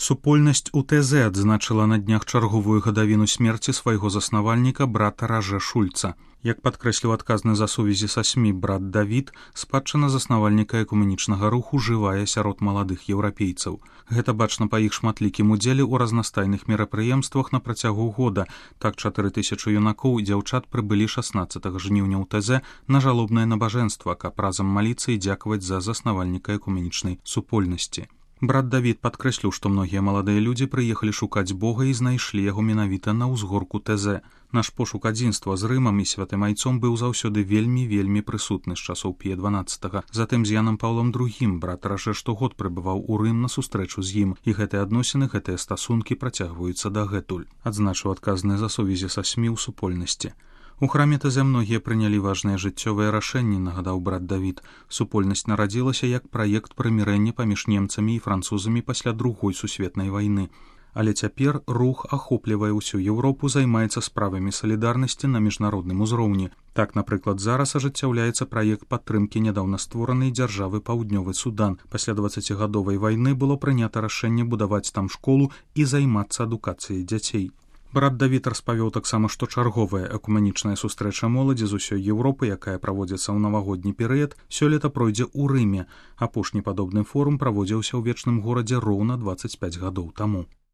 Супольнасць УТЗ адзначыла на днях чарговую гадавіну смерці свайго заснавальніка брата Ражэ Шульца. Як падкрэсліў адказны за сувязі са СМІ брат Давід, спадчына заснавальніка экуменічнага руху жывая сярод маладых еўрапейцаў. Гэта бачна па іх шматлікім удзеле ў разнастайных мерапрыемствах на працягу года. Так 4000 юнакоў і дзяўчат прыбылі 16 жніўня ў ТЗ на жалобнае набажэнства, каб разам маліцца і дзякаваць за заснавальніка экуменічнай супольнасці. Брат Давід падкрэсліў, што многія маладыя людзі прыехалі шукаць Бога і знайшлі яго менавіта на ўзгорку ТЗ. Наш пошук адзінства з Рымам і святым айцом быў заўсёды вельмі прысутны з часоў Пія XII. Затым з Янам Паўлам II брат Ражэ штогод прыбываў у Рым на сустрэчу з ім, і гэтыя адносіны, гэтыя стасункі працягваюцца дагэтуль, адзначыў адказны за сувязі са СМІ ў супольнасці. У храме ТЗ многія прынялі важныя жыццёвыя рашэнні, нагадаў брат Давід. Супольнасць нарадзілася як праект прымірэння паміж немцамі і французамі пасля Другой сусветнай вайны. Але цяпер рух ахоплівае ўсю Еўропу, займаецца справамі салідарнасці на міжнародным узроўні. Так, напрыклад, зараз ажыццяўляецца праект падтрымкі нядаўна створанай дзяржавы Паўднёвы Судан. Пасля 20гадовай вайны было прынята рашэнне будаваць там школу і займацца адукацыяй дзяцей. Брат Давід распавёў таксама, што чарговая экуменічная сустрэча моладзі з усёй Еўропы, якая праводзіцца ў навагодні перыяд, сёлета пройдзе ў Рыме. Апошні падобны форум праводзіўся ў вечным горадзе роўна 25 гадоў таму.